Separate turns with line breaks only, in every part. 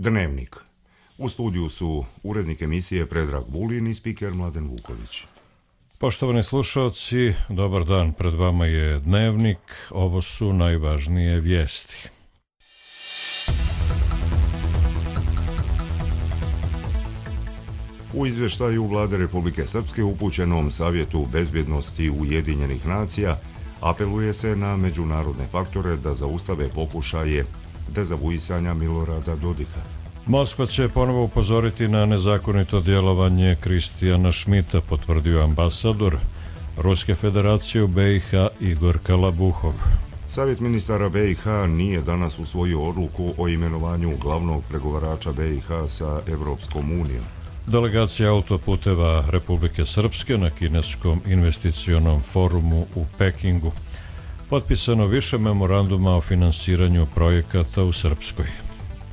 Dnevnik. U studiju su urednik emisije Predrag Vulin i spiker Mladen Vuković.
Poštovani slušalci, dobar dan, pred vama je Dnevnik, ovo su najvažnije vijesti.
U izvještaju Vlade Republike Srpske upućenom Savjetu bezbjednosti Ujedinjenih nacija apeluje se na međunarodne faktore da zaustave pokušaje dezavuisanja Milorada Dodika.
Moskva će ponovo upozoriti na nezakonito djelovanje Kristijana Šmita, potvrdio ambasador Ruske federacije u BiH Igor Kalabuhov.
Savjet ministara BiH nije danas usvojio odluku o imenovanju glavnog pregovarača BiH sa Evropskom unijom.
Delegacija autoputeva Republike Srpske na kineskom investicionom forumu u Pekingu. Potpisano više memoranduma o finansiranju projekata u Srpskoj.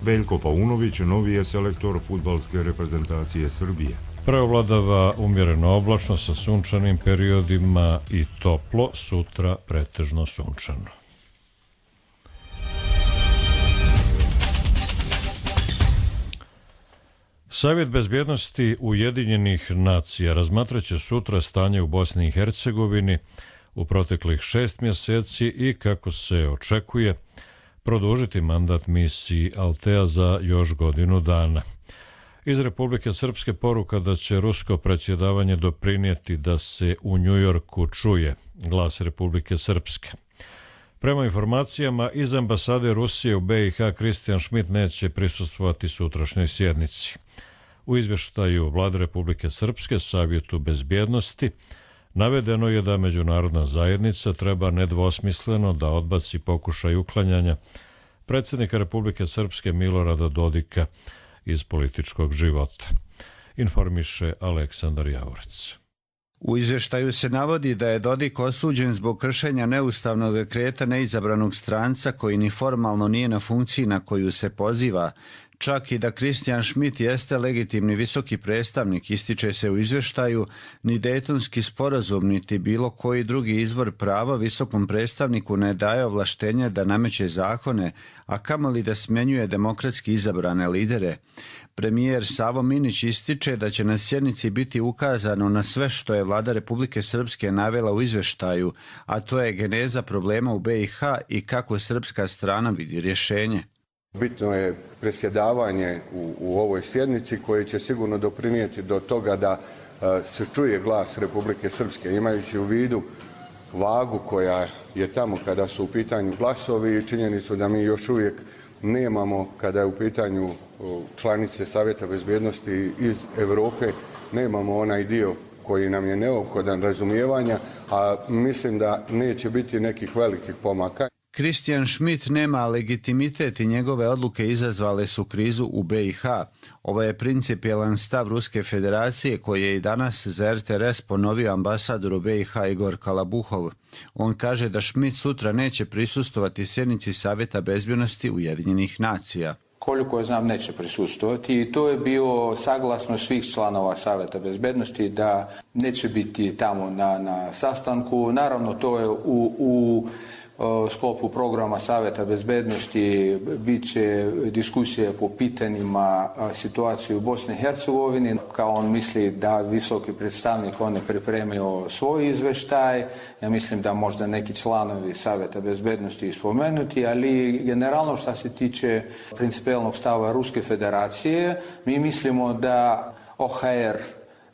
Veljko Paunović novi je selektor fudbalske reprezentacije Srbije.
Preovladava umjereno oblačno sa sunčanim periodima i toplo, sutra pretežno sunčano. Savjet bezbjednosti Ujedinjenih nacija razmatraće sutra stanje u Bosni i Hercegovini u proteklih 6 mjeseci i, kako se očekuje, produžiti mandat misiji Altea za još godinu dana. Iz Republike Srpske poruka da će rusko predsjedavanje doprinijeti da se u Njujorku čuje glas Republike Srpske. Prema informacijama iz ambasade Rusije u BiH, Kristijan Šmit neće prisustvovati sutrašnjoj sjednici. U izvještaju Vlade Republike Srpske Savjetu bezbjednosti navedeno je da međunarodna zajednica treba nedvosmisleno da odbaci pokušaj uklanjanja predsjednika Republike Srpske Milorada Dodika iz političkog života. Informiše Aleksandar Javorec.
U izvještaju se navodi da je Dodik osuđen zbog kršenja neustavnog dekreta neizabranog stranca koji ni formalno nije na funkciji na koju se poziva. Čak i da Kristijan Šmit jeste legitimni visoki predstavnik, ističe se u izvještaju, ni Dejtonski sporazum niti bilo koji drugi izvor prava visokom predstavniku ne daje ovlaštenje da nameće zakone, a kamoli da smjenjuje demokratski izabrane lidere. Premijer Savo Minić ističe da će na sjednici biti ukazano na sve što je Vlada Republike Srpske navela u izvještaju, a to je geneza problema u BiH i kako srpska strana vidi rješenje.
Bitno je predsjedavanje u ovoj sjednici koje će sigurno doprinijeti do toga da se čuje glas Republike Srpske, imajući u vidu vagu koja je tamo kada su u pitanju glasovi i činjenicu da mi još uvijek nemamo, kada je u pitanju članice Savjeta bezbjednosti iz Europe, nemamo onaj dio koji nam je neophodan razumijevanja, a mislim da neće biti nekih velikih pomaka.
Kristijan Šmit nema legitimitet i njegove odluke izazvale su krizu u BiH. Ovo je principijelan stav Ruske federacije koji je i danas za RTRS ponovio ambasador u BiH Igor Kalabuhov. On kaže da Šmit sutra neće prisustvovati sjednici Savjeta bezbjednosti Ujedinjenih nacija.
Koliko je znam, neće prisustvovati i to je bio saglasno svih članova Savjeta bezbjednosti da neće biti tamo na sastanku. Naravno, to je u sklopu programa Savjeta bezbjednosti bit će diskusije po pitanjima situacije u Bosni i Hercegovini. Kao on misli da visoki predstavnik on je pripremio svoj izvještaj. Ja mislim da možda neki članovi Savjeta bezbjednosti spomenuti, ali generalno što se tiče principijelnog stava Ruske federacije, mi mislimo da OHR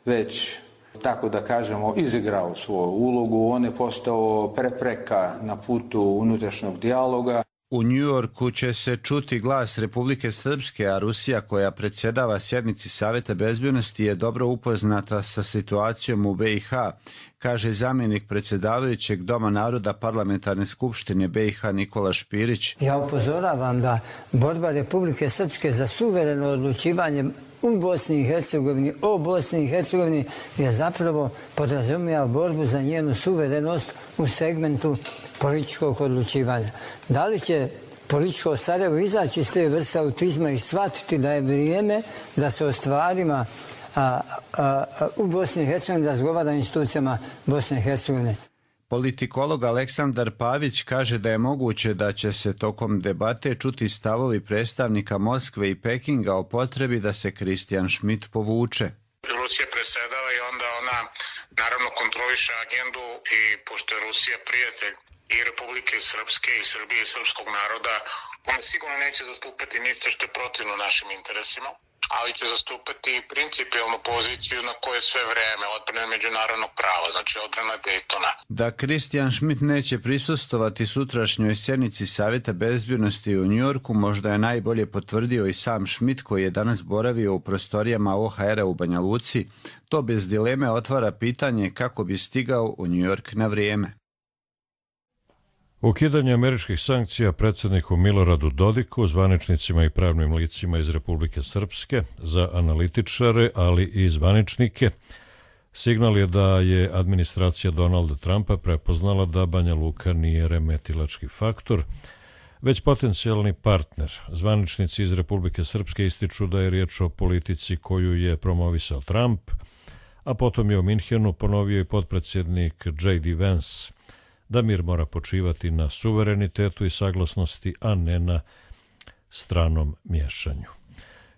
već, tako da kažemo, izigrao svoju ulogu. On je postao prepreka na putu unutrašnjeg dijaloga.
U Njujorku će se čuti glas Republike Srpske, a Rusija koja predsjedava sjednici Savjeta bezbjednosti je dobro upoznata sa situacijom u BiH, kaže zamjenik predsjedavajućeg Doma naroda Parlamentarne skupštine BiH Nikola Špirić.
Ja upozoravam da borba Republike Srpske za suvereno odlučivanje u Bosni i Hercegovini, o Bosni i Hercegovini, je zapravo podrazumijeva borbu za njenu suverenost u segmentu političkog odlučivanja. Da li će političko Sarajevo izaći iz te vrste autizma i shvatiti da je vrijeme da se o stvarima u Bosni i Hercegovini razgovara o institucijama Bosne i Hercegovine?
Politikolog Aleksandar Pavić kaže da je moguće da će se tokom debate čuti stavovi predstavnika Moskve i Pekinga o potrebi da se Christian Schmidt povuče.
Rusija presedava i onda ona naravno kontroliše agendu i pošto je Rusija prijatelj i Republike Srpske i Srbije i srpskog naroda, ona sigurno neće zastupati ništa što je protivno našim interesima, ali će zastupati principijalnu poziciju na koje sve vreme odbrane međunarodnog prava, znači odbrana Daytona.
Da Christian Schmidt neće prisustovati sutrašnjoj sjednici Savjeta bezbjednosti u Njujorku možda je najbolje potvrdio i sam Schmidt koji je danas boravio u prostorijama OHR-a u Banja Luci. To bez dileme otvara pitanje kako bi stigao u Njujork na vrijeme.
Ukidanje američkih sankcija predsjedniku Miloradu Dodiku, zvaničnicima i pravnim licima iz Republike Srpske, za analitičare, ali i zvaničnike, signal je da je administracija Donalda Trumpa prepoznala da Banja Luka nije remetilački faktor, već potencijalni partner. Zvaničnici iz Republike Srpske ističu da je riječ o politici koju je promovisao Trump, a potom je u Minhenu ponovio i potpredsjednik J.D. Vance da mir mora počivati na suverenitetu i saglasnosti, a ne na stranom miješanju.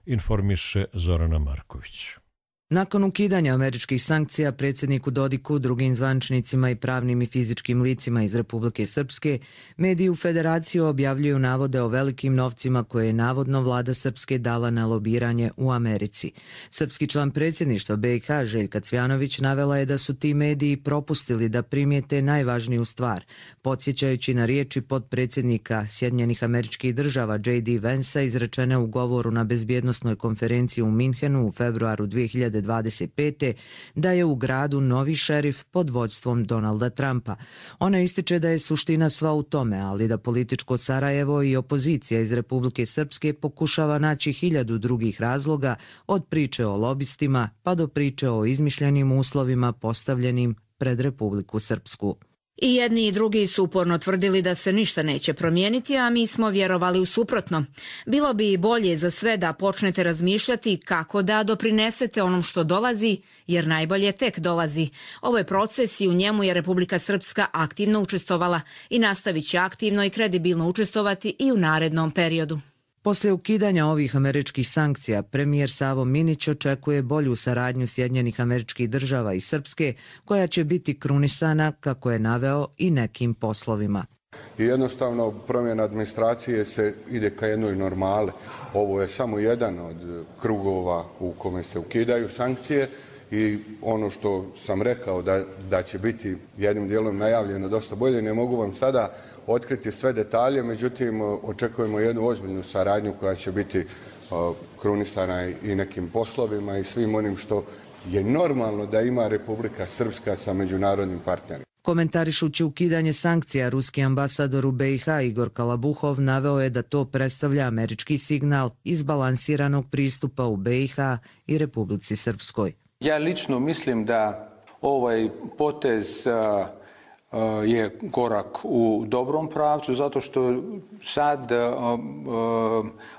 Informiše Zorana Marković.
Nakon ukidanja američkih sankcija predsjedniku Dodiku, drugim zvaničnicima i pravnim i fizičkim licima iz Republike Srpske, mediji u Federaciji objavljuju navode o velikim novcima koje je navodno vlada Srpske dala na lobiranje u Americi. Srpski član predsjedništva BiH Željka Cvjanović navela je da su ti mediji propustili da primijete najvažniju stvar, podsjećajući na riječi potpredsjednika Sjedinjenih Američkih Država J.D. Vansa izrečene u govoru na bezbjednosnoj konferenciji u Minhenu u februaru 2025. da je u gradu novi šerif pod vođstvom Donalda Trumpa. Ona ističe da je suština sva u tome, ali da političko Sarajevo i opozicija iz Republike Srpske pokušava naći 1000 drugih razloga, od priče o lobistima pa do priče o izmišljenim uslovima postavljenim pred Republiku Srpsku.
I jedni i drugi su uporno tvrdili da se ništa neće promijeniti, a mi smo vjerovali u suprotno. Bilo bi bolje za sve da počnete razmišljati kako da doprinesete onom što dolazi, jer najbolje tek dolazi. Ovo je proces i u njemu je Republika Srpska aktivno učestvovala i nastavit će aktivno i kredibilno učestvovati i u narednom periodu.
Poslije ukidanja ovih američkih sankcija, premijer Savo Minić očekuje bolju saradnju Sjedinjenih Američkih Država i Srpske, koja će biti krunisana, kako je naveo, i nekim poslovima.
I jednostavno promjena administracije se ide ka jednoj normale. Ovo je samo jedan od krugova u kome se ukidaju sankcije i ono što sam rekao da će biti jednim dijelom najavljeno dosta bolje, ne mogu vam sada otkriti sve detalje, međutim očekujemo jednu ozbiljnu saradnju koja će biti krunisana i nekim poslovima i svim onim što je normalno da ima Republika Srpska sa međunarodnim partnerima.
Komentarišući ukidanje sankcija, ruski ambasador u BiH Igor Kalabuhov naveo je da to predstavlja američki signal izbalansiranog pristupa u BiH i Republici Srpskoj.
Ja lično mislim da ovaj potez je korak u dobrom pravcu, zato što sad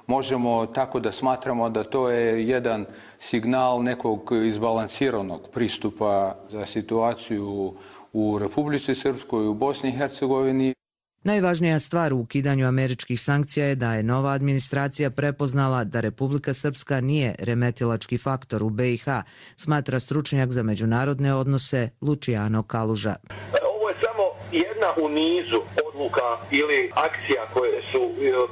možemo tako da smatramo da to je jedan signal nekog izbalansiranog pristupa za situaciju u Republici Srpskoj, u Bosni i Hercegovini.
Najvažnija stvar u ukidanju američkih sankcija je da je nova administracija prepoznala da Republika Srpska nije remetilački faktor u BiH, smatra stručnjak za međunarodne odnose Luciano Kaluža.
Ovo je samo jedna u nizu odluka ili akcija koje su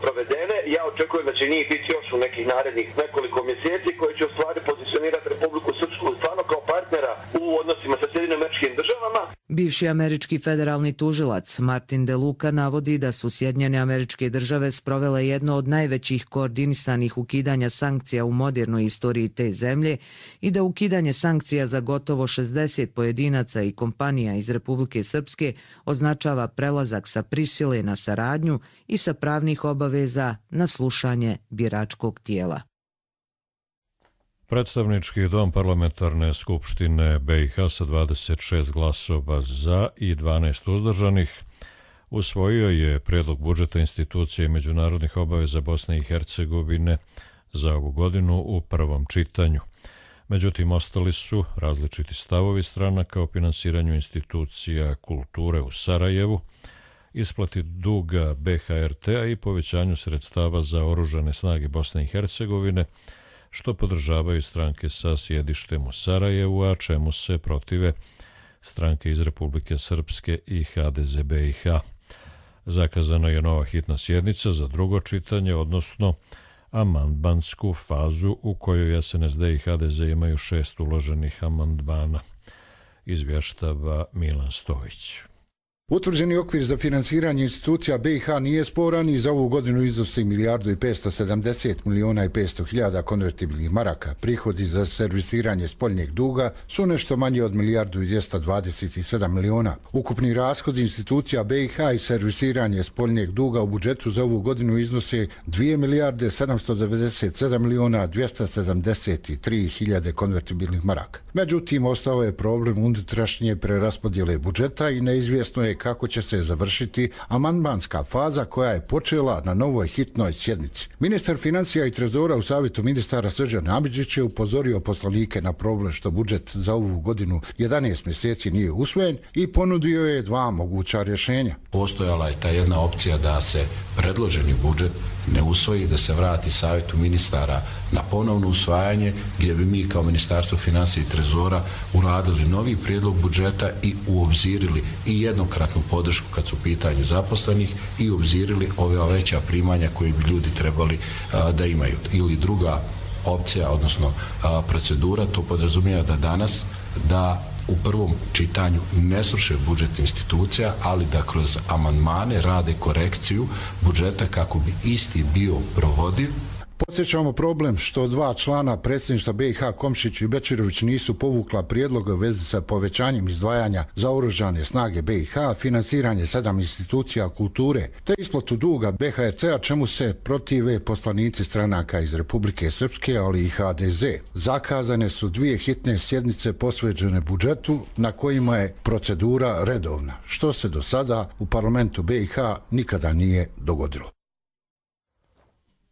provedene. Ja očekujem da će njih biti još u nekih narednih nekoliko mjeseci koje će u stvari pozicionirati Republiku Srpsku stvarno kao partnera u odnosima sa Sjedinjenim Američkim Državama.
Bivši američki federalni tužilac Martin De Luca navodi da su Sjedinjene Američke Države sprovele jedno od najvećih koordinisanih ukidanja sankcija u modernoj istoriji te zemlje i da ukidanje sankcija za gotovo 60 pojedinaca i kompanija iz Republike Srpske označava prelazak sa prisile na saradnju i sa pravnih obaveza na slušanje biračkog tijela.
Predstavnički dom parlamentarne skupštine BiH sa 26 glasova za i 12 uzdržanih usvojio je prijedlog budžeta institucije i međunarodnih obaveza Bosne i Hercegovine za ovu godinu u prvom čitanju. Međutim, ostali su različiti stavovi stranaka o finansiranju institucija kulture u Sarajevu, isplati duga BHRT-a i povećanju sredstava za oružane snage Bosne i Hercegovine, što podržavaju stranke sa sjedištem u Sarajevu, a čemu se protive stranke iz Republike Srpske i HDZ BiH. Zakazana je nova hitna sjednica za drugo čitanje, odnosno amandmansku fazu u kojoj SNSD i HDZ imaju 6 uloženih amandmana, izvještava Milan Stojić.
Utvrđeni okvir za finansiranje institucija BiH nije sporan i za ovu godinu iznosi 1.570.500.000 konvertibilnih maraka. Prihodi za servisiranje spoljnjeg duga su nešto manje od 1.227.000.000. Ukupni rashodi institucija BiH i servisiranje spoljnjeg duga u budžetu za ovu godinu iznose 2.797.273.000 konvertibilnih maraka. Međutim, ostao je problem unutrašnje preraspodjele budžeta i neizvjesno je kako će se završiti amandmanska faza koja je počela na novoj hitnoj sjednici. Ministar financija i trezora u savjetu ministara Srđan Amidžić je upozorio poslanike na problem što budžet za ovu godinu 11 mjeseci nije usvojen i ponudio je dva moguća rješenja.
Postojala je ta jedna opcija da se predloženi budžet ne usvoji, da se vrati savjetu ministara na ponovno usvajanje, gdje bi mi kao Ministarstvo financija i trezora uradili novi prijedlog budžeta i uobzirili i jednokratnu podršku kad su u pitanju zaposlenih i uobzirili ove veća primanja koje bi ljudi trebali da imaju. Ili druga opcija, odnosno procedura, to podrazumijeva da danas u prvom čitanju ne sruše budžet institucija, ali da kroz amandmane rade korekciju budžeta kako bi isti bio provodiv.
Podsjećamo problem što dva člana predsjedništva BiH Komšić i Bečirović nisu povukla prijedloga u vezi sa povećanjem izdvajanja za oružane snage BiH, finansiranje 7 institucija kulture te isplatu duga BHRT-a, čemu se protive poslanici stranaka iz Republike Srpske, ali i HDZ. Zakazane su dvije hitne sjednice posvećene budžetu na kojima je procedura redovna, što se do sada u parlamentu BiH nikada nije dogodilo.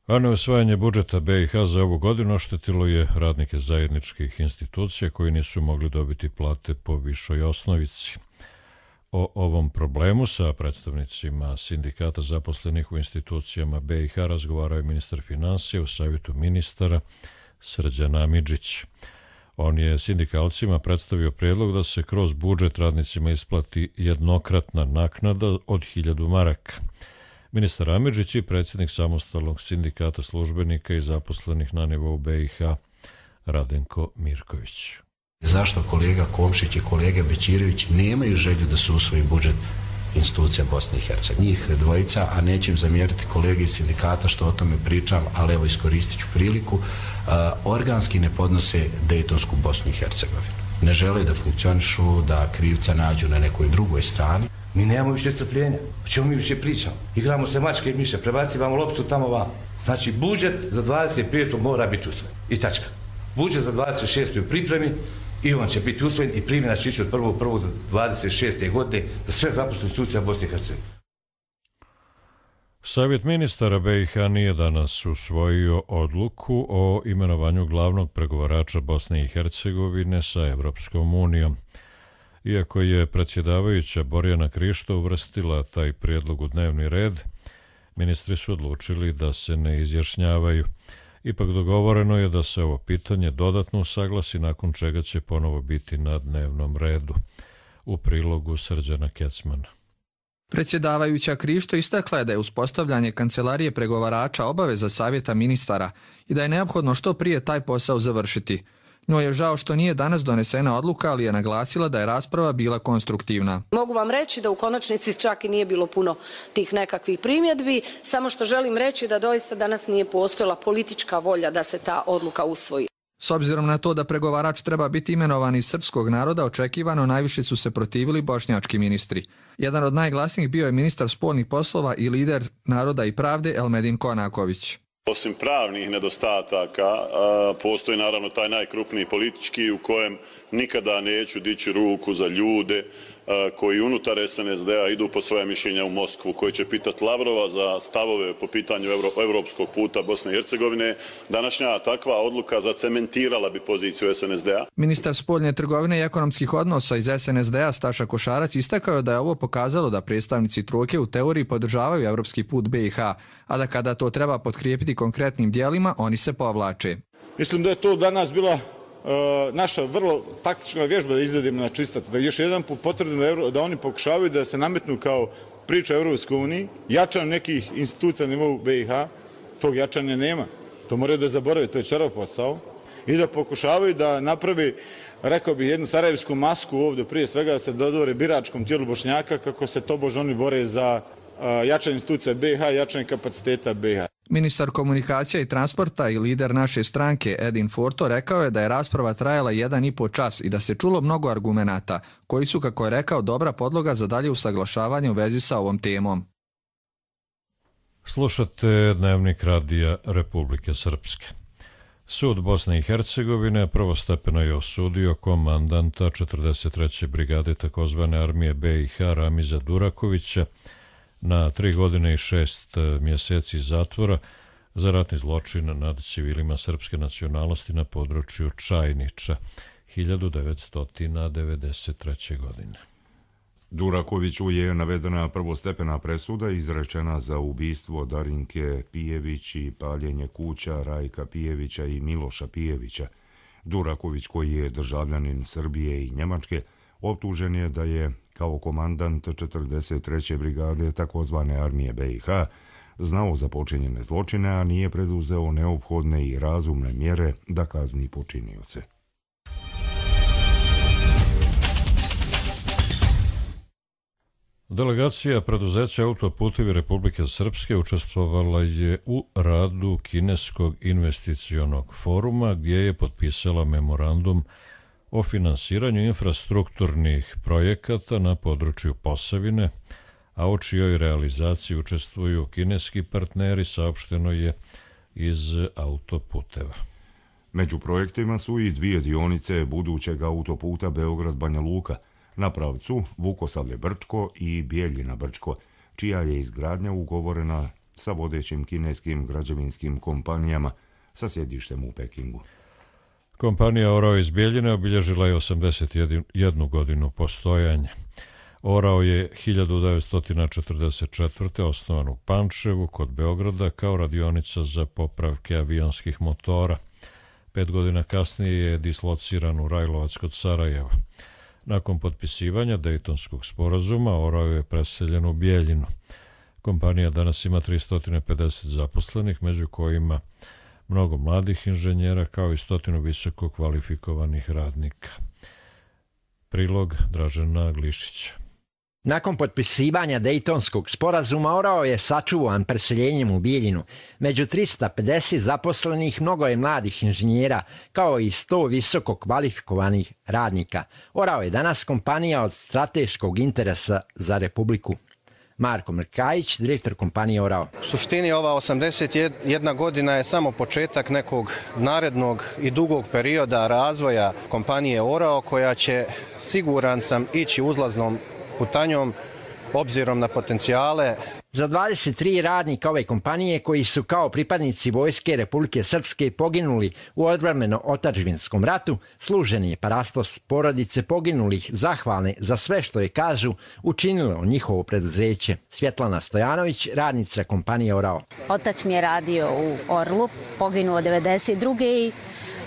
A neusvajanje budžeta BiH za ovu godinu oštetilo je radnike zajedničkih institucija koji nisu mogli dobiti plate po višoj osnovici. O ovom problemu sa predstavnicima sindikata zaposlenih u institucijama BiH razgovarao je ministar financija u savjetu ministara Srđan Amidžić. On je sindikalcima predstavio prijedlog da se kroz budžet radnicima isplati jednokratna naknada od 1000 maraka. Ministar Amidžić i predsjednik samostalnog sindikata službenika i zaposlenih na nivou BiH Radenko Mirković.
Zašto kolega Komšić i kolega Bečirović nemaju želju da se usvoji budžet institucija Bosne i Hercegovine? Njih dvojica, a nećem im zamjeriti kolege iz sindikata što o tome pričam, ali evo iskoristit ću priliku, organski ne podnose Dejtonsku Bosnu i Hercegovinu. Ne žele da funkcionišu, da krivca nađu na nekoj drugoj strani.
Mi nemamo više strpljenja. O čemu mi više pričamo? Igramo se mačke i miše, prebacivamo loptu tamo vam. Znači, budžet za 25. mora biti usvojen. I tačka. Budžet za 26. u pripremi i on će biti usvojen i primjena će ići od 1.1. za 26. godine za sve zaposlene institucije Bosne i Hercegovine.
Savjet ministara BiH nije danas usvojio odluku o imenovanju glavnog pregovarača Bosne i Hercegovine sa Evropskom unijom. Iako je predsjedavajuća Borjana Krišto uvrstila taj prijedlog u dnevni red, ministri su odlučili da se ne izjašnjavaju. Ipak dogovoreno je da se ovo pitanje dodatno usaglasi, nakon čega će ponovo biti na dnevnom redu. U prilogu Srđana Kecmana.
Predsjedavajuća Krišto istakla je da je uspostavljanje kancelarije pregovarača obaveza savjeta ministara i da je neophodno što prije taj posao završiti. Njoj je žao što nije danas donesena odluka, ali je naglasila da je rasprava bila konstruktivna.
Mogu vam reći da u konačnici čak i nije bilo puno tih nekakvih primjedbi, samo što želim reći da doista danas nije postojala politička volja da se ta odluka usvoji.
S obzirom na to da pregovarač treba biti imenovan iz srpskog naroda, očekivano najviše su se protivili bošnjački ministri. Jedan od najglasnijih bio je ministar spoljnih poslova i lider Naroda i pravde Elmedin Konaković.
Osim pravnih nedostataka, postoji naravno taj najkrupniji politički u kojem nikada neću dići ruku za ljude koji unutar SNSD-a idu po svoje mišljenja u Moskvu, koji će pitati Lavrova za stavove po pitanju evropskog puta Bosne i Hercegovine. Današnja takva odluka zacementirala bi poziciju SNSD-a.
Ministar spoljne trgovine i ekonomskih odnosa iz SNSD-a Staša Košarac istakao da je ovo pokazalo da predstavnici trojke u teoriji podržavaju evropski put BiH, a da kada to treba potkrijepiti konkretnim dijelima, oni se povlače.
Mislim da je to danas bila naša vrlo taktična vježba da izvedemo na čistac, da još jedan put potvrdimo da oni pokušavaju da se nametnu kao priča o Europskoj uniji, jačanju nekih institucija na nivou BiH, tog jačanja nema. To moraju da zaborave, to je čarav posao. I da pokušavaju da napravi, rekao bih, jednu sarajevsku masku ovdje, prije svega da se dodvore biračkom tijelu Bošnjaka, kako se tobož oni bore za jačanje institucija BiH, jačanje kapaciteta BiH.
Ministar komunikacija i transporta i lider naše stranke Edin Forto rekao je da je rasprava trajala 1,5 čas i da se čulo mnogo argumenata, koji su, kako je rekao, dobra podloga za dalje usaglašavanje u vezi sa ovom temom.
Slušate Dnevnik radija Republike Srpske. Sud Bosne i Hercegovine prvostepeno je osudio komandanta 43. brigade takozvane armije BiH Ramiza Durakovića na 3 godine i 6 mjeseci zatvora za ratni zločin nad civilima srpske nacionalnosti na području Čajniča 1993. godine.
Durakoviću je navedena prvostepena presuda izrečena za ubistvo Darinke Pijević i paljenje kuća Rajka Pijevića i Miloša Pijevića. Duraković, koji je državljanin Srbije i Njemačke, optužen je da je kao komandant 43. brigade takozvane armije BiH znao za počinjene zločine, a nije preduzeo neophodne i razumne mjere da kazni počinioce.
Delegacija preduzeća Autoputevi Republike Srpske učestvovala je u radu Kineskog investicionog foruma, gdje je potpisala memorandum o finansiranju infrastrukturnih projekata na području Posavine, a o čijoj realizaciji učestvuju kineski partneri, saopšteno je iz Autoputeva.
Među projektima su i 2 dionice budućeg autoputa Beograd-Banja Luka na pravcu Vukosavlje-Brčko i Bijeljina-Brčko, čija je izgradnja ugovorena sa vodećim kineskim građevinskim kompanijama sa sjedištem u Pekingu.
Kompanija Orao iz Bijeljine obilježila je 81 godinu postojanja. Orao je 1944. osnovan u Pančevu kod Beograda kao radionica za popravke avionskih motora. 5 godina kasnije je dislociran u Rajlovac kod Sarajeva. Nakon potpisivanja Dejtonskog sporazuma, Orao je preseljen u Bijeljinu. Kompanija danas ima 350 zaposlenih, među kojima mnogo mladih inženjera kao i 100 visoko kvalifikovanih radnika. Prilog Dražena Glišića.
Nakon potpisivanja Dejtonskog sporazuma, Orao je sačuvan preseljenjem u Bijeljinu. Među 350 zaposlenih mnogo je mladih inženjera, kao i 100 visoko kvalifikovanih radnika. Orao je danas kompanija od strateškog interesa za Republiku. Marko Mrkajić, direktor kompanije Orao.
U suštini ova 81 godina je samo početak nekog narednog i dugog perioda razvoja kompanije Orao, koja će, siguran sam, ići uzlaznom putanjom obzirom na potencijale.
Za 23 radnika ove kompanije, koji su kao pripadnici Vojske Republike Srpske poginuli u odbrambeno-otadžbinskom ratu, služen je parastos porodice poginulih, zahvalne za sve što je, kažu, učinilo njihovo preduzeće. Svjetlana Stojanović, radnica kompanije Orao.
Otac mi je radio u Orlu, poginuo 92. i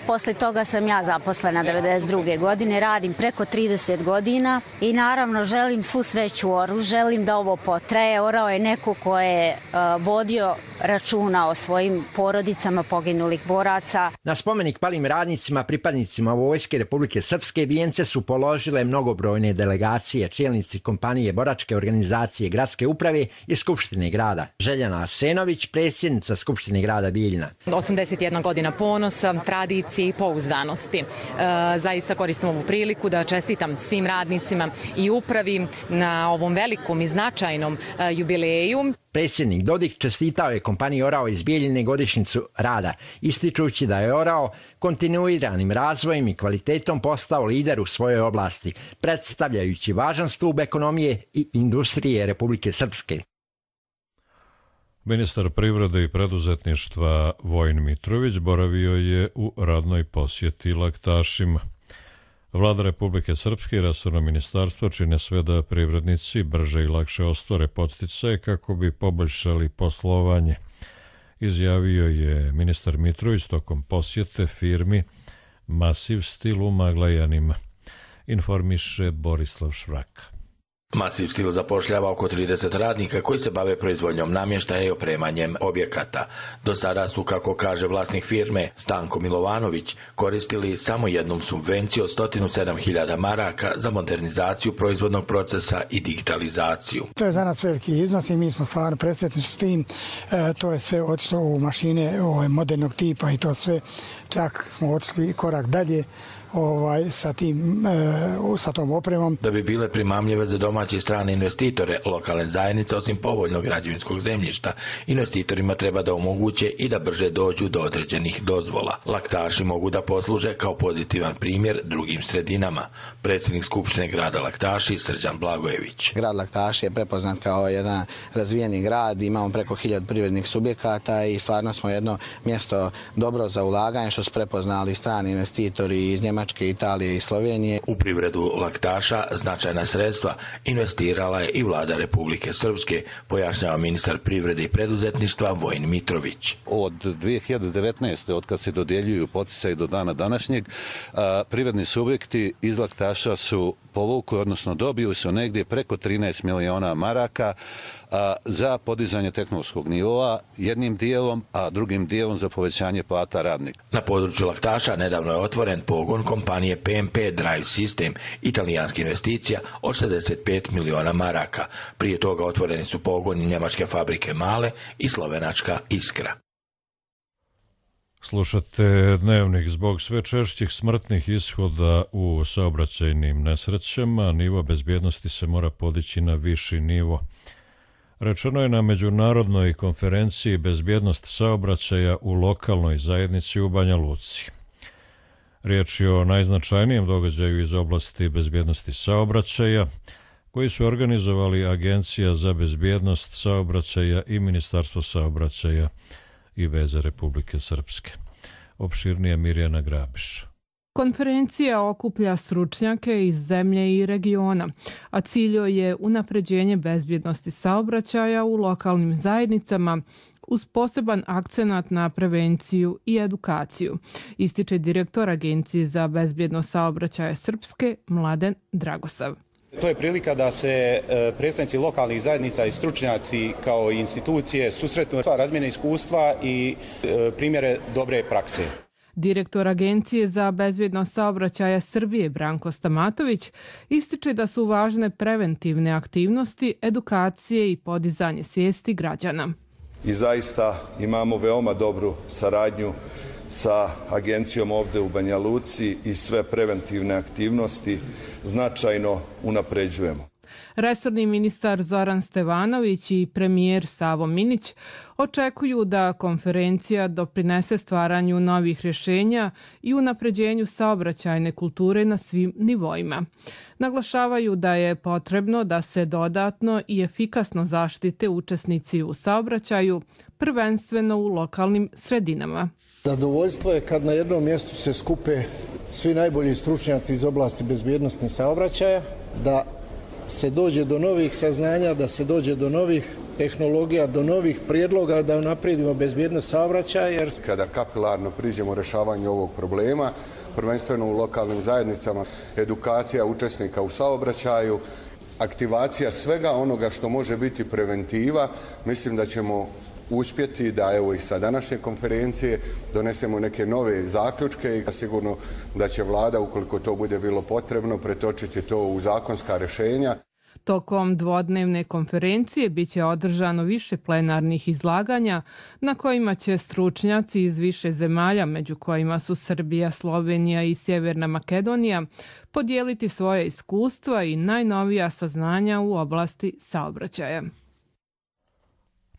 posle toga sam ja zaposlena 92. godine, radim preko 30 godina i naravno želim svu sreću Orlu, želim da ovo potraje. Orao je neko ko je vodio računa o svojim porodicama poginulih boraca.
Na spomenik palim radnicima, pripadnicima Vojske Republike Srpske, vijence su položile mnogobrojne delegacije, čelnici kompanije, boračke organizacije, gradske uprave i Skupštine grada. Željana Arsenović, predsjednica Skupštine grada Bijeljina.
81 godina ponosa, tradicije, konkurencije i pouzdanosti. Zaista koristim ovu priliku da čestitam svim radnicima i upravi na ovom velikom i značajnom jubileju.
Predsjednik Dodik čestitao je kompaniji Orao iz Bijeljine godišnjicu rada, ističući da je Orao kontinuiranim razvojem i kvalitetom postao lider u svojoj oblasti, predstavljajući važan stup ekonomije i industrije Republike Srpske.
Ministar privrede i preduzetništva Vojin Mitrović boravio je u radnoj posjeti laktašima. Vlada Republike Srpske i resorno ministarstvo čine sve da privrednici brže i lakše ostvare podsticaje kako bi poboljšali poslovanje, izjavio je ministar Mitrović tokom posjete firmi Masiv Stil u Maglajanima, informiše Borislav Švraka.
Masiv Stil zapošljava oko 30 radnika koji se bave proizvodnjom namještaja i opremanjem objekata. Do sada su, kako kaže vlasnik firme Stanko Milovanović, koristili samo jednom subvenciju od 107.000 maraka za modernizaciju proizvodnog procesa i digitalizaciju.
To je za nas veliki iznos i mi smo stvarno presretni s tim. To je sve otišlo u mašine modernog tipa i to sve. Čak smo otišli korak dalje sa tom opremom.
Da bi bile primamljive za domaće i strane investitore, lokalne zajednice, osim povoljnog građevinskog zemljišta, investitorima treba da omoguće i da brže dođu do određenih dozvola. Laktaši mogu da posluže kao pozitivan primjer drugim sredinama. Predsjednik Skupštine grada Laktaši, Srđan Blagojević.
Grad Laktaši je prepoznat kao jedan razvijeni grad, imamo preko 1000 privrednih subjekata i stvarno smo jedno mjesto dobro za ulaganje, što su prepoznali strani investitori iz Njemačke, Italije i Slovenije.
U privredu Laktaša značajna sredstva investirala je i vlada Republike Srpske, pojašnjava ministar privrede i preduzetništva Vojin Mitrović.
Od 2019. od kad se dodjeljuju poticaji do dana današnjeg, privredni subjekti iz Laktaša su povukli, odnosno dobili su negdje preko 13 miliona maraka za podizanje tehnološkog nivoa jednim dijelom, a drugim dijelom za povećanje plata radnika.
Na području Laktaša nedavno je otvoren pogon kompanije PMP Drive System, italijanska investicija od 65 miliona maraka. Prije toga otvoreni su pogoni njemačke fabrike Male i slovenačka Iskra.
Slušate Dnevnik. Zbog sve češćih smrtnih ishoda u saobraćajnim nesrećama, nivo bezbjednosti se mora podići na viši nivo. Rečeno je na međunarodnoj konferenciji Bezbjednost saobraćaja u lokalnoj zajednici u Banja Luci. Riječ je o najznačajnijem događaju iz oblasti bezbjednosti saobraćaja, koji su organizovali Agencija za bezbjednost saobraćaja i Ministarstvo saobraćaja i veze Republike Srpske. Opširnije Mirjana Grabiš.
Konferencija okuplja stručnjake iz zemlje i regiona, a cilj je unapređenje bezbjednosti saobraćaja u lokalnim zajednicama uz poseban akcenat na prevenciju i edukaciju, ističe direktor Agencije za bezbjednost saobraćaja Srpske Mladen Dragosav.
To je prilika da se predstavnici lokalnih zajednica i stručnjaci kao institucije susretnu, razmjene iskustva i primjere dobre prakse.
Direktor Agencije za bezbjednost saobraćaja Srbije Branko Stamatović ističe da su važne preventivne aktivnosti, edukacije i podizanje svijesti građana.
I zaista imamo veoma dobru saradnju sa agencijom ovdje u Banja Luci i sve preventivne aktivnosti značajno unapređujemo.
Resorni ministar Zoran Stevanović i premijer Savo Minić očekuju da konferencija doprinese stvaranju novih rješenja i unapređenju saobraćajne kulture na svim nivoima. Naglašavaju da je potrebno da se dodatno i efikasno zaštite učesnici u saobraćaju, prvenstveno u lokalnim sredinama.
Zadovoljstvo je kad na jednom mjestu se skupe svi najbolji stručnjaci iz oblasti bezbjednosti saobraćaja, da se dođe do novih saznanja, da se dođe do novih tehnologija, do novih prijedloga da unaprijedimo bezbjednost saobraćaja.
Kada kapilarno priđemo rješavanju ovog problema, prvenstveno u lokalnim zajednicama, edukacija učesnika u saobraćaju, aktivacija svega onoga što može biti preventiva, mislim da ćemo uspjeti da evo i sa današnje konferencije donesemo neke nove zaključke i sigurno da će vlada, ukoliko to bude bilo potrebno, pretočiti to u zakonska rješenja.
Tokom dvodnevne konferencije biće održano više plenarnih izlaganja na kojima će stručnjaci iz više zemalja, među kojima su Srbija, Slovenija i Sjeverna Makedonija, podijeliti svoje iskustva i najnovija saznanja u oblasti saobraćaja.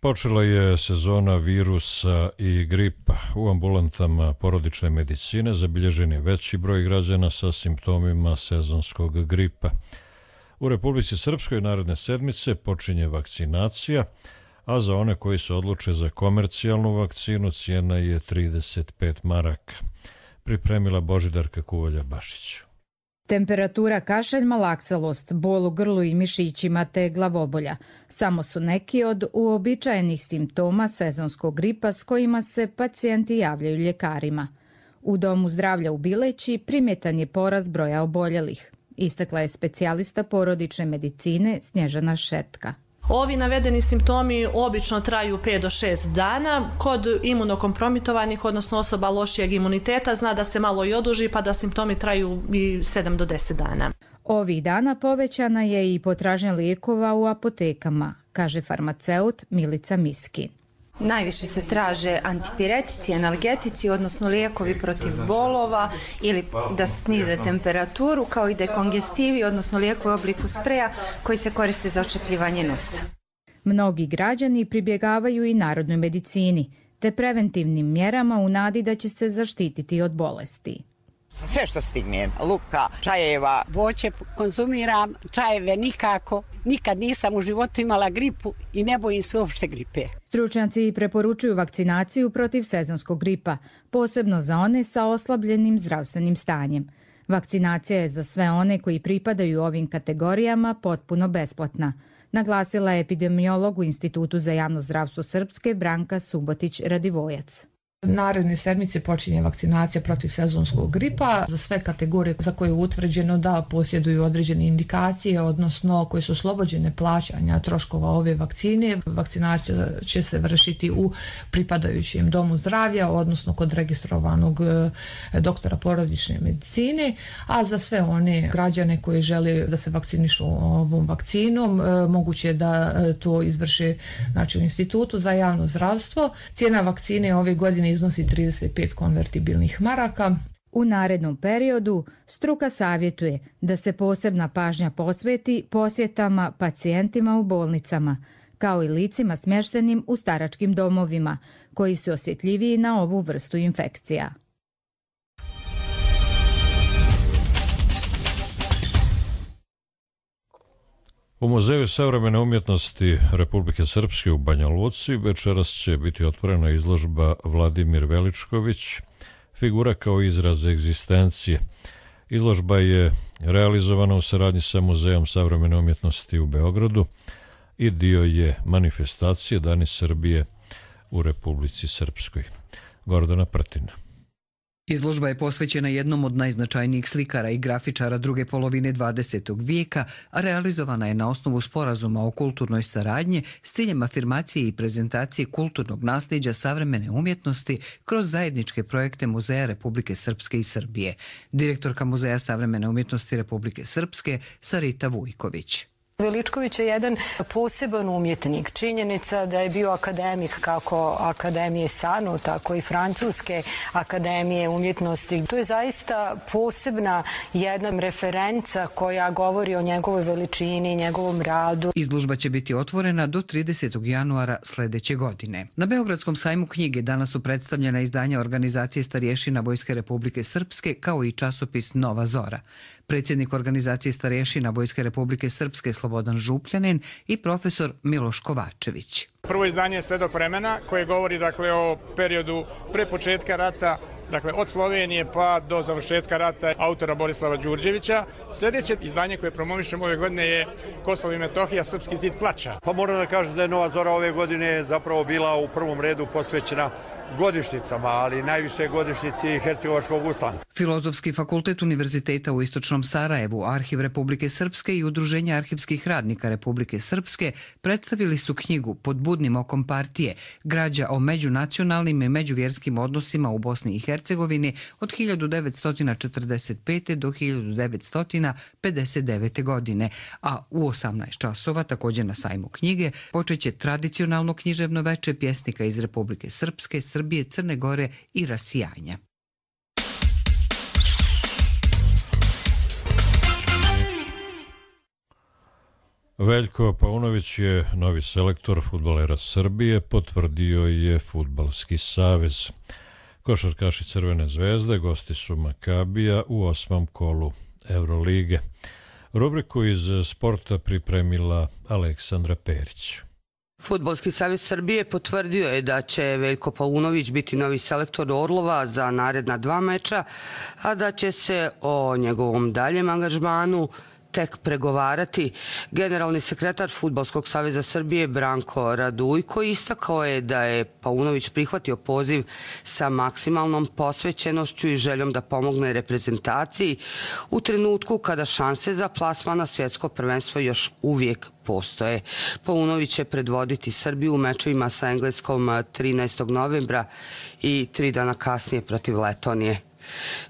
Počela je sezona virusa i gripa. U ambulantama porodične medicine zabilježen je veći broj građana sa simptomima sezonskog gripa. U Republici Srpskoj naredne sedmice počinje vakcinacija, a za one koji se odluče za komercijalnu vakcinu cijena je 35 maraka. Pripremila Božidarka Kuvalja-Bašić.
Temperatura, kašalj, malaksalost, bol u grlu i mišićima te glavobolja samo su neki od uobičajenih simptoma sezonskog gripa s kojima se pacijenti javljaju ljekarima. U Domu zdravlja u Bileći primjetan je porast broja oboljelih, istakla je specijalista porodične medicine Snježana Šetka.
Ovi navedeni simptomi obično traju 5 do 6 dana. Kod imunokompromitovanih, odnosno osoba lošijeg imuniteta, zna da se malo i oduži pa da simptomi traju i 7 do 10 dana.
Ovih dana povećana je i potražnja lijekova u apotekama, kaže farmaceut Milica Miskin.
Najviše se traže antipiretici, analgetici, odnosno lijekovi protiv bolova ili da snize temperaturu, kao i dekongestivi, odnosno lijekovi u obliku spreja koji se koriste za očepljivanje nosa.
Mnogi građani pribjegavaju i narodnoj medicini, te preventivnim mjerama u nadi da će se zaštititi od bolesti.
Sve što stignem, luka, čajeva.
Voće konzumiram, čajeve nikako. Nikad nisam u životu imala gripu i ne bojim se uopšte gripe.
Stručnjaci preporučuju vakcinaciju protiv sezonskog gripa, posebno za one sa oslabljenim zdravstvenim stanjem. Vakcinacija je za sve one koji pripadaju ovim kategorijama potpuno besplatna, naglasila je epidemiolog u Institutu za javno zdravstvo Srpske Branka Subotić-Radivojac.
Naredne sedmice počinje vakcinacija protiv sezonskog gripa za sve kategorije za koje je utvrđeno da posjeduju određene indikacije, odnosno koje su oslobođene plaćanja troškova ove vakcine. Vakcinacija će se vršiti u pripadajućem domu zdravlja, odnosno kod registrovanog doktora porodične medicine, a za sve one građane koji žele da se vakcinišu ovom vakcinom, moguće je da to izvrše u Institutu za javno zdravstvo. Cijena vakcine ove godine iznosi 35 konvertibilnih maraka.
U narednom periodu struka savjetuje da se posebna pažnja posveti posjetama pacijentima u bolnicama, kao i licima smještenim u staračkim domovima, koji su osjetljiviji na ovu vrstu infekcija.
U Muzeju savremene umjetnosti Republike Srpske u Banja Luci večeras će biti otvorena izložba Vladimir Veličković, figura kao izraz egzistencije. Izložba je realizovana u saradnji sa Muzejom savremene umjetnosti u Beogradu i dio je manifestacije Dani Srbije u Republici Srpskoj. Gordana Prtina.
Izložba je posvećena jednom od najznačajnijih slikara i grafičara druge polovine 20. vijeka, a realizovana je na osnovu sporazuma o kulturnoj saradnji s ciljem afirmacije i prezentacije kulturnog nasljeđa savremene umjetnosti kroz zajedničke projekte Muzeja Republike Srpske i Srbije. Direktorka Muzeja savremene umjetnosti Republike Srpske Sarita Vujković.
Veličković je jedan poseban umjetnik. Činjenica da je bio akademik kako Akademije SANU, tako i Francuske akademije umjetnosti. To je zaista posebna jedna referenca koja govori o njegovoj veličini, njegovom radu.
Izložba će biti otvorena do 30. januara sljedeće godine. Na Beogradskom sajmu knjige danas su predstavljena izdanja organizacije starješina Vojske Republike Srpske kao i časopis Nova Zora. Predsjednik organizacije starješina Vojske Republike Srpske Slobodan Župljanin i profesor Miloš Kovačević.
Prvo izdanje je Svedok vremena koje govori o periodu pre početka rata, od Slovenije pa do završetka rata autora Borislava Đurđevića. Sljedeće izdanje koje promovišemo ove godine je Kosovo i Metohija, Srpski zid plača.
Pa moram da kažem da je Nova Zora ove godine zapravo bila u prvom redu posvećena godišnjicama, ali najviše godišnjici Hercegovačkog ustanka.
Filozofski fakultet Univerziteta u Istočnom Sarajevu, Arhiv Republike Srpske i Udruženje arhivskih radnika Republike Srpske predstavili su knjigu Pod budnim okom partije, građa o međunacionalnim i međuvjerskim odnosima u Bosni i Hercegovini Hercegovine od 1945. do 1959. godine, a u 18 časova, također na sajmu knjige, počeće tradicionalno književno veče pjesnika iz Republike Srpske, Srbije, Crne Gore i rasijanja.
Veljko Paunović je novi selektor fudbalera Srbije, potvrdio je Fudbalski savez. Košarkaši Crvene zvezde gosti su Makabija u 8. kolu Evrolige. Rubriku iz sporta pripremila Aleksandra Perić.
Fudbalski savez Srbije potvrdio je da će Veljko Paunović biti novi selektor Orlova za naredna 2 meča, a da će se o njegovom daljem angažmanu tek pregovarati. Generalni sekretar Fudbalskog saveza Srbije Branko Radujko istakao je da je Paunović prihvatio poziv sa maksimalnom posvećenošću i željom da pomogne reprezentaciji u trenutku kada šanse za plasman na svjetsko prvenstvo još uvijek postoje. Paunović će predvoditi Srbiju u mečevima sa Engleskom 13. novembra i 3 dana kasnije protiv Letonije.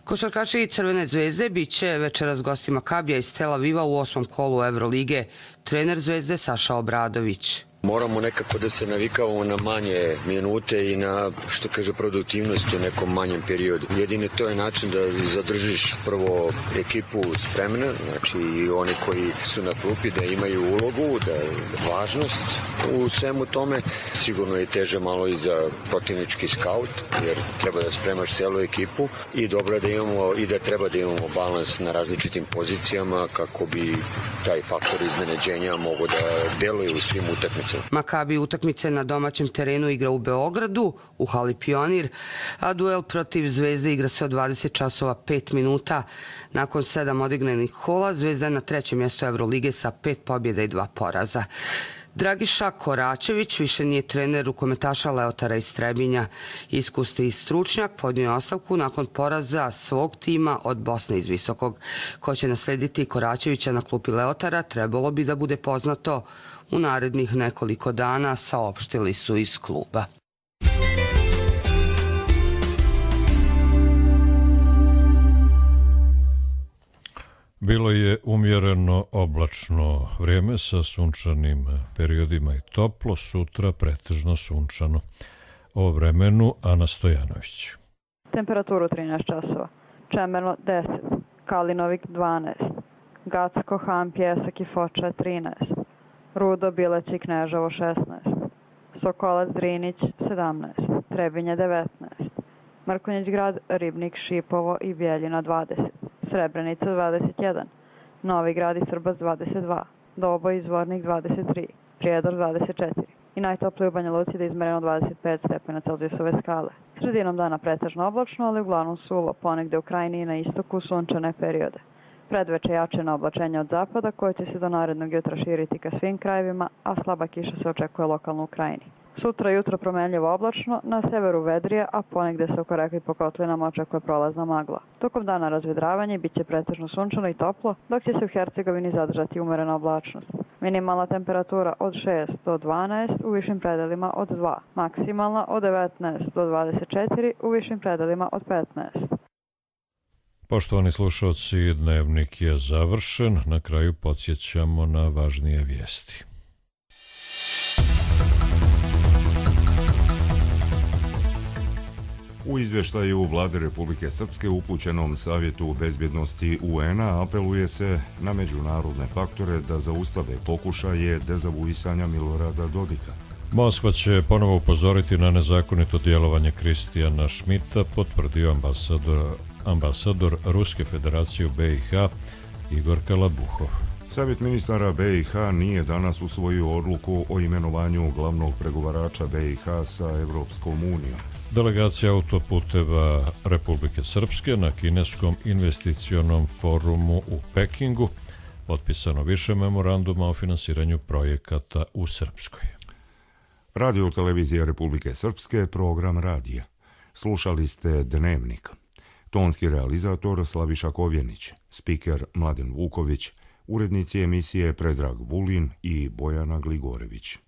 Košarkaši Crvene zvezde bit će večeras gosti Makabija iz Tel Aviva u 8. kolu Evrolige. Trener Zvezde Saša Obradović.
Moramo nekako da se navikavamo na manje minute i na, što kaže, produktivnost u nekom manjem periodu. Jedini to je način da zadržiš prvo ekipu spremna, znači i oni koji su na klupi da imaju ulogu, da je važnost u svemu tome. Sigurno je teže malo i za protivnički skaut, jer treba da spremaš celu ekipu i dobro je da imamo i da treba da imamo balans na različitim pozicijama kako bi taj faktor iznenađenja mogo da deluje u svim utakmicama.
Makabi utakmice na domaćem terenu igra u Beogradu, u hali Pionir, a duel protiv Zvezde igra se od 20 časova 5 minuta. Nakon 7 odigranih kola, Zvezda je na 3. mjestu Evrolige sa 5 pobjeda i 2 poraza. Dragiša Koračević više nije trener rukometaša Leotara iz Trebinja. Iskusni stručnjak podnio je ostavku nakon poraza svog tima od Bosne iz Visokog. Ko će naslediti Koračevića na klupi Leotara trebalo bi da bude poznato u narednih nekoliko dana, saopštili su iz kluba.
Bilo je umjereno oblačno vrijeme sa sunčanim periodima i toplo, sutra pretežno sunčano. O vremenu Ana Stojanović.
Temperaturu 13 časova. Čemerno 10, Kalinovik 12, Gacko, Han, Pjesak i Foča 13, Rudo, Bileć i Kneževo 16, Sokolac, Drinić 17, Trebinje 19, Mrkonjić grad, Ribnik, Šipovo i Bijeljina 20, Srebrenica 21, Novi grad i Srbac 22, Doboj i Zvornik 23, Prijedor 24 i najtoplije u Banja Luci da je izmereno 25 stepena Celzijusove skale. Sredinom dana pretežno oblačno, ali uglavnom suvo, ponegde u krajini i na istoku sunčane periode. Predveče jače na oblačenje od zapada koje će se do narednog jutra širiti ka svim krajevima, a slaba kiša se očekuje lokalno u krajini. Sutra jutro promenljivo oblačno, na severu vedrije, a ponegde se oko reka i po kotlinama očekuje prolazna magla. Tokom dana razvedravanje bit će pretežno sunčano i toplo, dok će se u Hercegovini zadržati umerena oblačnost. Minimalna temperatura od 6 do 12, u višim predelima od 2. Maksimalna od 19 do 24, u višim predelima od 15.
Poštovani slušalci, dnevnik je završen. Na kraju podsjećamo na važnije vijesti.
U izvještaju Vlade Republike Srpske upućenom Savjetu bezbjednosti UN-a apeluje se na međunarodne faktore da zaustave pokušaje dezavuisanja Milorada Dodika.
Moskva će ponovo upozoriti na nezakonito djelovanje Kristijana Šmita, potvrdio ambasador Ruske federacije u BiH Igor Kalabuhov.
Savjet ministara BiH nije danas usvojio odluku o imenovanju glavnog pregovarača BiH sa Evropskom unijom.
Delegacija autoputeva Republike Srpske na kineskom investicionom forumu u Pekingu potpisano više memoranduma o finansiranju projekata u Srpskoj.
Radio televizija Republike Srpske, program radija. Slušali ste Dnevnik. Tonski realizator Slaviša Kovjenić, spiker Mladen Vuković, urednici emisije Predrag Vulin i Bojana Gligorević.